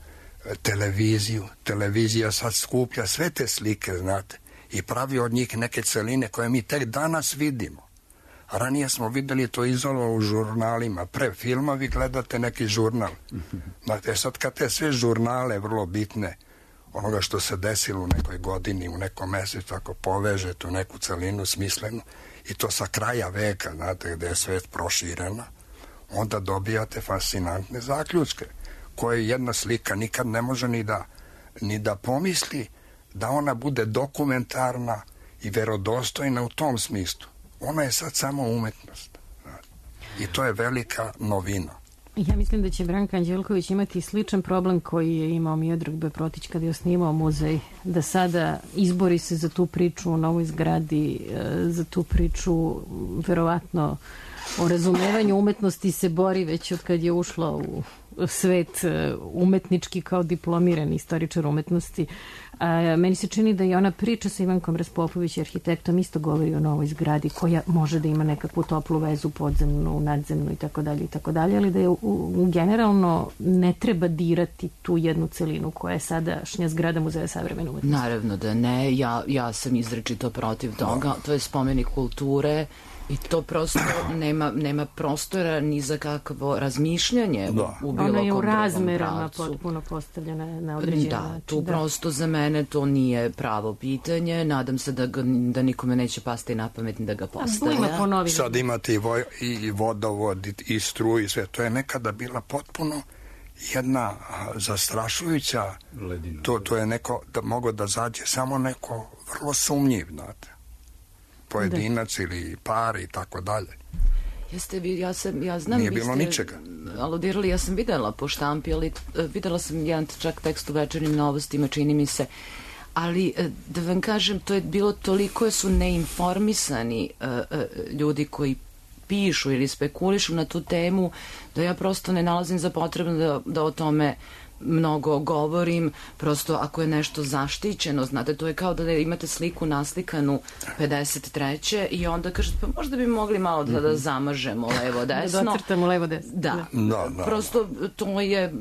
televiziju. Televizija sad skuplja sve te slike, znate, i pravi od njih neke celine koje mi tek danas vidimo. Ranije smo videli to izolovano u žurnalima. Pre filma vi gledate neki žurnal. Znate, sad kad te sve žurnale vrlo bitne, onoga što se desilo u nekoj godini, u nekom mesecu, ako povežete u neku celinu smislenu, i to sa kraja veka, znate, gde je svet proširena, onda dobijate fascinantne zaključke, koje jedna slika nikad ne može ni da pomisli da ona bude dokumentarna i verodostojna u tom smislu. Ona je sad samo umetnost. I to je velika novina. Ja mislim da će Branka Anđelković imati sličan problem koji je imao Miodrag Beprotić kada je osnivao muzej, da sada izbori se za tu priču u novoj zgradi, za tu priču verovatno o razumevanju umetnosti se bori već od kad je ušla u svet umetnički kao diplomirani istoričar umetnosti. Meni se čini da i ona priča sa Ivankom Raspopović, arhitektom, isto govori o novoj zgradi koja može da ima nekakvu toplu vezu podzemnu, nadzemnu i tako dalje, ali da je generalno ne treba dirati tu jednu celinu koja je sadašnja zgrada Muzeja savremene umetnosti. Naravno da ne, ja sam izrečito protiv toga, to je spomenik kulture i to prosto nema prostora ni za kakvo razmišljanje u bilo kom drugom pravcu. Ona je u razmerama potpuno postavljena na određen način. Tu prosto za mene to nije pravo pitanje. Nadam se da nikome neće pasti na pamet da ga postavlja. Sad imate i vodovod i struju i sve. To je nekada bila potpuno jedna zastrašujuća ledina. To je neko da mogo da zađe samo neko vrlo sumnjiv, znate, pojedinac ili par i tako dalje. Ja znam, nije bilo ničega. Aludirali, ja sam videla po štampi, ali videla sam jedan čak tekst u Večernjim novostima, čini mi se, ali da vam kažem, to je bilo toliko su neinformisani ljudi koji pišu ili spekulišu na tu temu, da ja prosto ne nalazim za potrebno da o tome mnogo govorim. Prosto ako je nešto zaštićeno, znate, to je kao da imate sliku naslikanu 53. i onda kažete, pa možda bi mogli malo da zamažemo levo desno. Da docrtamo levo desno. Da. Prosto to je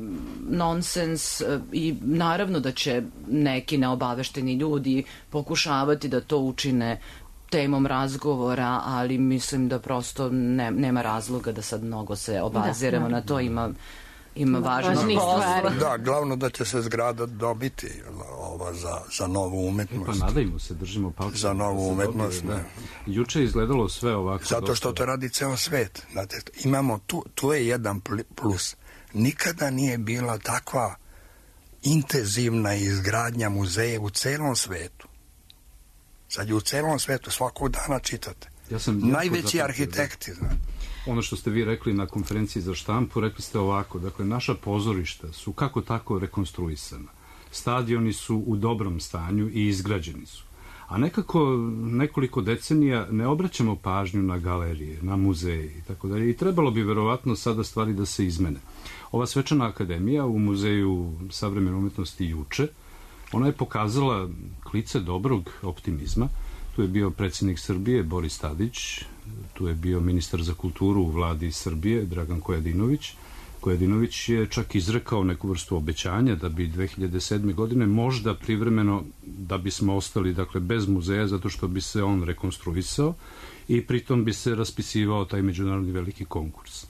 nonsens i naravno da će neki neobavešteni ljudi pokušavati da to učine temom razgovora, ali mislim da prosto nema razloga da sad mnogo se obaziramo na to, ima važnih stvari. Da, glavno da će se zgrada dobiti za novu umetnost. Pa nadajmo se, držimo palce. Za novu umetnost, ne. Juče je izgledalo sve ovako. Zato što to radi ceo svet. Znate, imamo tu je jedan plus. Nikada nije bila takva intenzivna izgradnja muzeja u celom svetu. Sad je u celom svetu, svakog dana čitate. Najveći arhitekti, znate. Ono što ste vi rekli na konferenciji za štampu, rekli ste ovako, dakle, naša pozorišta su kako tako rekonstruisana. Stadioni su u dobrom stanju i izgrađeni su. A nekako nekoliko decenija ne obraćamo pažnju na galerije, na muzeje i tako dalje. I trebalo bi verovatno sada stvari da se izmene. Ova svečana akademija u Muzeju savremene umetnosti juče, ona je pokazala klice dobrog optimizma. Tu je bio predsjednik Srbije Boris Tadić, tu je bio ministar za kulturu u vladi Srbije Dragan Kojadinović, Kojadinović je čak izrekao neku vrstu obećanja da bi 2007. godine možda privremeno, da bismo ostali dakle bez muzeja, zato što bi se on rekonstruisao i pritom bi se raspisivao taj međunarodni veliki konkurs.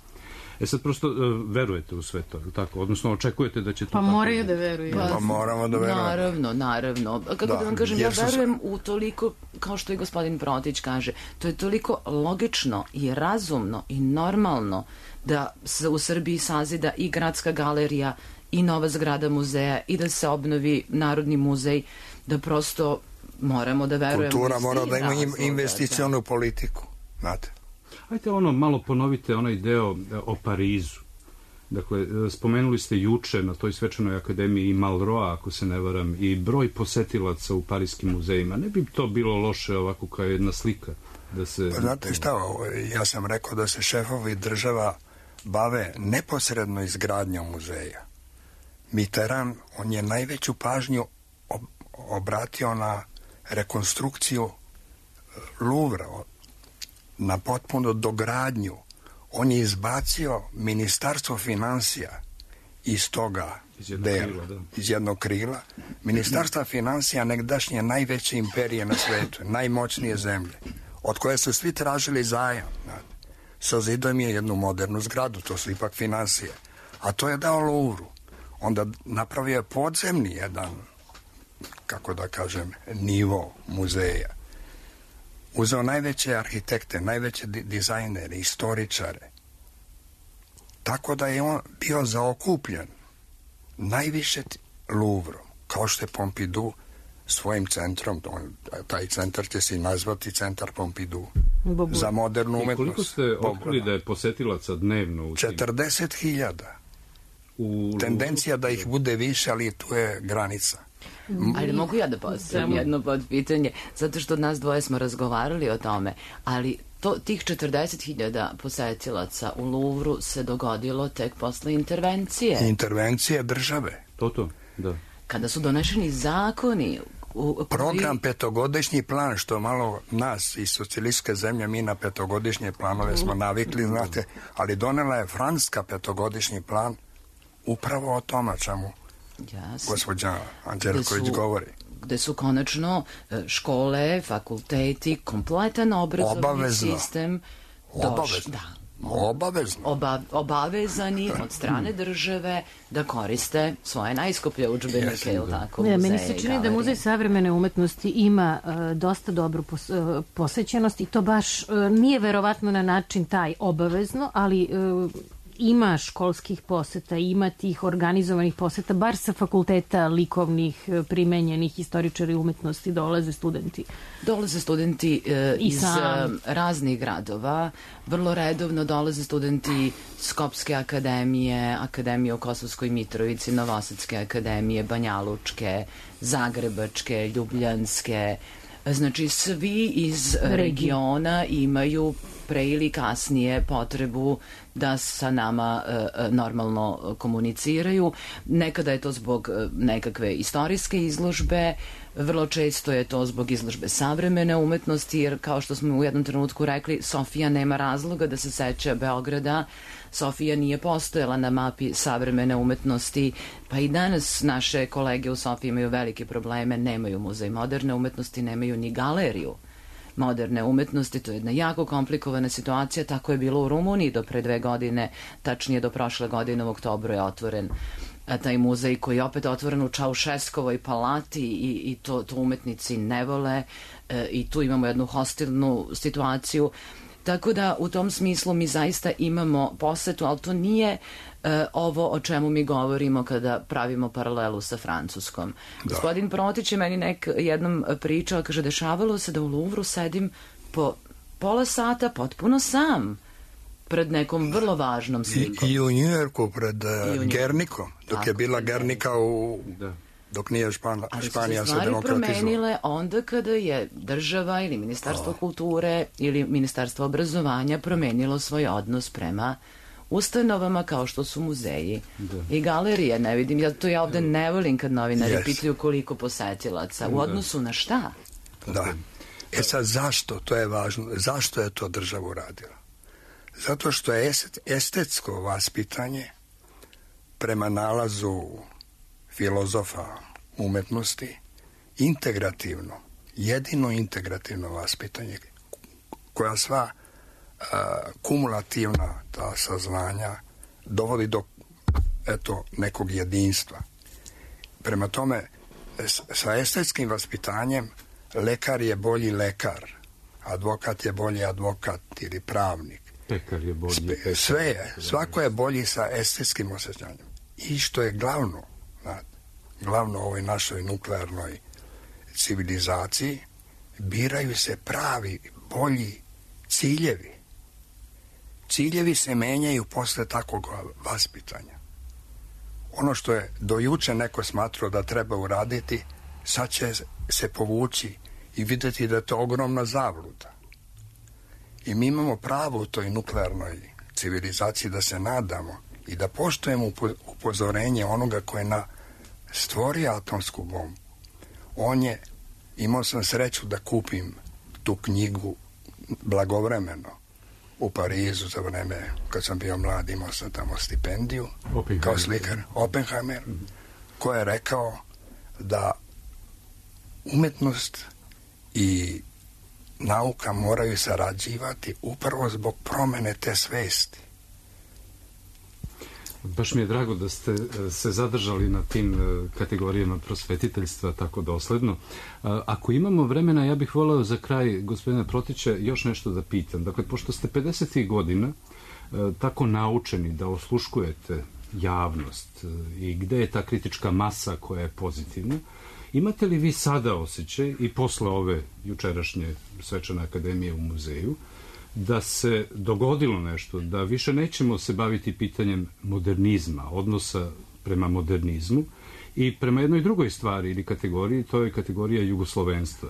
Sad prosto verujete u sve to, tako? Odnosno očekujete da će to tako... moraju da veruju. Pa moramo da verujemo. Naravno. Kako da vam kažem, ja verujem u toliko, kao što i gospodin Protić kaže, to je toliko logično i razumno i normalno da se u Srbiji sazida i gradska galerija i nova zgrada muzeja i da se obnovi Narodni muzej, da prosto moramo da verujemo. Kultura mora da ima investicionu politiku, znate. Hajde malo ponovite onaj deo o Parizu. Dakle, spomenuli ste juče na toj svečanoj akademiji i Malroa, ako se ne varam, i broj posetilaca u parijskim muzejima. Ne bi to bilo loše ovako kao jedna slika? Da se... Pa znate šta, ja sam rekao da se šefovi država bave neposredno izgradnjom muzeja. Mitterrand, on je najveću pažnju obratio na rekonstrukciju Louvra, na potpuno dogradnju. On je izbacio ministarstvo financija iz toga dela, iz jednog krila. Ministarstva financija negdašnje najveće imperije na svetu, najmoćnije zemlje, od koje su svi tražili zajam. Sazidao mi je jednu modernu zgradu, to su ipak financije. A to je dao Louvru. Onda napravio je podzemni jedan, kako da kažem, nivo muzeja. Uzeo najveće arhitekte, najveće dizajnere, istoričare. Tako da je on bio zaokupljen najviše Louvrom, kao što je Pompidou svojim centrom. Taj centar će se nazvati centar Pompidou za modernu umetnost. I koliko ste otkrili da je posetilaca dnevno? 40.000. Tendencija da ih bude više, ali tu je granica. Ali mogu ja da postavim jedno podpitanje, zato što nas dvoje smo razgovarali o tome, ali tih 40.000 posetilaca u Louvru se dogodilo tek posle intervencije. Intervencije države. To, da. Kada su donešeni zakoni... Program petogodišnji plan, što malo nas iz socijalističke zemlje, mi na petogodišnje planove smo navikli, znate, ali donela je Francuska petogodišnji plan upravo o tome čemu gospođa Anđelković govori. Gde su konačno škole, fakulteti, kompletan obrazovni sistem obavezani od strane države da koriste svoje najskuplje udžbenike, ili tako, muzeje. Meni se čini da Muzej savremene umetnosti ima dosta dobru posećenost i to baš nije verovatno na način taj obavezno, ali ima školskih poseta, ima tih organizovanih poseta, bar sa fakulteta likovnih, primenjenih istoričara umetnosti dolaze studenti. Dolaze studenti iz raznih gradova, vrlo redovno dolaze studenti Skopske akademije, Akademije u Kosovskoj Mitrovici, Novosadske akademije, Banjalučke, Zagrebačke, Ljubljanske. Znači, svi iz regiona imaju pre ili kasnije potrebu da sa nama normalno komuniciraju. Nekada je to zbog nekakve istorijske izložbe, vrlo često je to zbog izložbe savremene umetnosti, jer kao što smo u jednom trenutku rekli, Sofija nema razloga da se seća Beograda. Sofija nije postojala na mapi savremene umetnosti, pa i danas naše kolege u Sofiji imaju velike probleme, nemaju muzej moderne umetnosti, nemaju ni galeriju moderne umetnosti. To je jedna jako komplikovana situacija. Tako je bilo u Rumuniji do pre 2 godine, tačnije do prošle godine u oktobru je otvoren taj muzej koji je opet otvoren u Čaušeskovoj palati i to umetnici ne vole i tu imamo jednu hostilnu situaciju. Tako da u tom smislu mi zaista imamo posetu, ali to nije ovo o čemu mi govorimo kada pravimo paralelu sa Francuskom. Gospodin Protić je meni jednom pričao, kaže, dešavalo se da u Louvru sedim po pola sata potpuno sam pred nekom vrlo važnom slikom. I u Njujorku pred Gernikom, dok je bila Gernika dok nije Španija se demokratizala. Ali su se stvari promenile onda kada je država ili Ministarstvo kulture ili Ministarstvo obrazovanja promenilo svoj odnos prema ustanovama kao što su muzeji i galerije. Ne vidim, ja ovde ne volim kad novinari pitaju koliko posetilaca. U odnosu na šta? Da. Sad zašto, to je važno, zašto je to država uradila? Zato što je estetsko vaspitanje prema nalazu filozofa umetnosti integrativno, jedino integrativno vaspitanje koja sva kumulativna ta saznanja dovodi do nekog jedinstva. Prema tome, sa estetskim vaspitanjem lekar je bolji lekar, advokat je bolji advokat ili pravnik. Pekar je bolji. Sve je, svako je bolji sa estetskim osjećanjem. I što je glavno u ovoj našoj nuklearnoj civilizaciji, biraju se pravi, bolji ciljevi. Ciljevi se menjaju posle takvog vaspitanja. Ono što je do juče neko smatrao da treba uraditi, sad će se povući i vidjeti da je to ogromna zabluda. I mi imamo pravo u toj nuklearnoj civilizaciji da se nadamo i da poštujemo upozorenje onoga koje stvorio atomsku bombu. Imao sam sreću da kupim tu knjigu blagovremeno u Parizu za vreme kad sam bio mlad, imao sam tamo stipendiju kao slikar, Oppenheimer, koji je rekao da umetnost i nauka moraju sarađivati upravo zbog promene te svesti. Baš mi je drago da ste se zadržali na tim kategorijama prosvetiteljstva tako dosledno. Ako imamo vremena, ja bih voleo za kraj, gospodine Protića, još nešto da pitam. Dakle, pošto ste 50. godina tako naučeni da osluškujete javnost i gde je ta kritička masa koja je pozitivna, imate li vi sada osjećaj i posle ove jučerašnje svečane akademije u muzeju da se dogodilo nešto, da više nećemo se baviti pitanjem modernizma, odnosa prema modernizmu i prema jednoj drugoj stvari ili kategoriji, to je kategorija jugoslovenstva.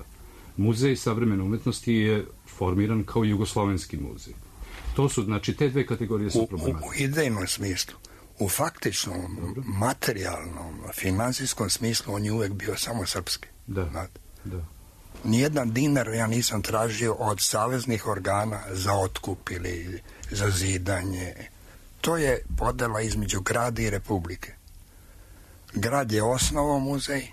Muzej savremene umetnosti je formiran kao jugoslovenski muzej. To su, znači, te dve kategorije su problematične. U idejnom smislu, u faktičnom, materijalnom, finansijskom smislu on je uvek bio samo srpski. Da. Nijedan dinar ja nisam tražio od saveznih organa za otkup ili za zidanje. To je podela između grada i republike. Grad je osnovao muzej,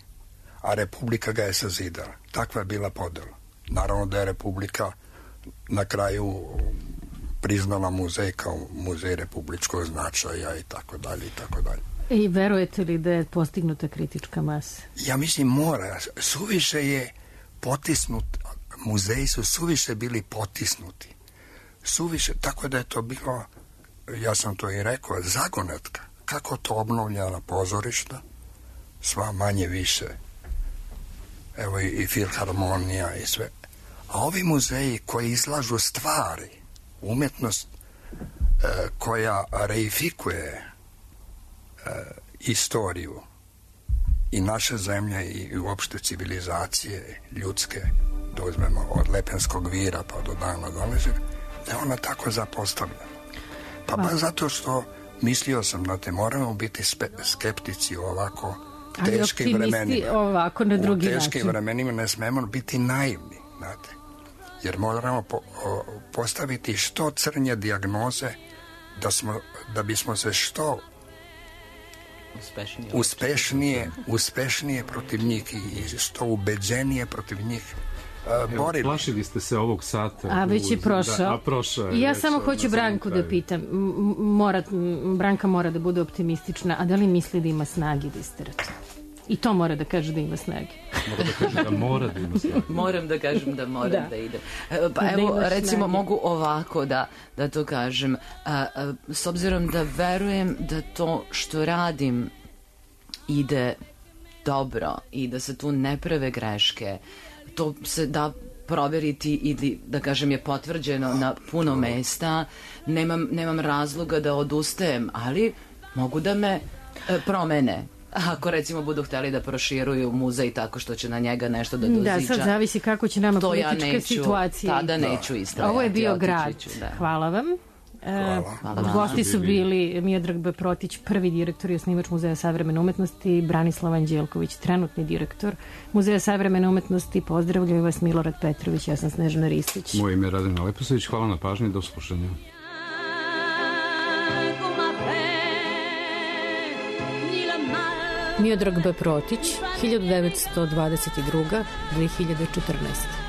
a republika ga je sazidala. Takva je bila podela. Naravno da je republika na kraju priznala muzej kao muzej republičkog značaja i tako dalje i tako dalje. I verujete li da je postignuta kritička masa? Ja mislim mora. Suviše je potisnut, muzeji su suviše bili potisnuti. Suviše, tako da je to bilo, ja sam to i rekao, zagonetka. Kako to obnovljena pozorišta, sva manje više. Evo i filharmonija i sve. A ovi muzeji koji izlažu stvari, umetnost koja reifikuje istoriju i naše zemlje i uopšte civilizacije ljudske, da uzmemo od Lepenskog vira pa do dana današnjeg, da je ona tako zapostavljena. Pa baš zato što mislio sam da moramo biti skeptici u ovako teškim vremenima. Ovako na drugi način. U teškim vremenima ne smemo biti naivni, znate. Jer moramo postaviti što crnje dijagnoze da bismo se što uspešnije protiv njih i što ubeđenije protiv njih borili. Plašili ste se ovog sata. A već je prošao. I ja samo hoću Branku da pitam. Branka mora da bude optimistična, a da li misli da ima snage da isterati? I to mora da kaže da ima snage. Mora da kaže da mora da ima snage. Moram da kažem da moram da idem. Pa evo, recimo, mogu ovako da to kažem. S obzirom da verujem da to što radim ide dobro i da se tu ne prave greške, to se da proveriti ili, da kažem, je potvrđeno na puno mesta. Nemam razloga da odustajem, ali mogu da me promene. Ako, recimo, budu hteli da proširuju muzej tako što će na njega nešto da doziđa. Da, sad zavisi kako će nama politička situacija. Tada neću istrajati. Ovo je bio Grad. Hvala vam. Gosti su bili Miodrag B. Protić, prvi direktor i osnivač Muzeja savremene umetnosti, Branislav Anđelković, trenutni direktor Muzeja savremene umetnosti. Pozdravljaju vas Milorad Petrović, ja sam Snežana Ristić. Moje ime je Radina Leposavić, hvala na pažnji, do slušanja. Miodrag B. Protić, 1922. 2014.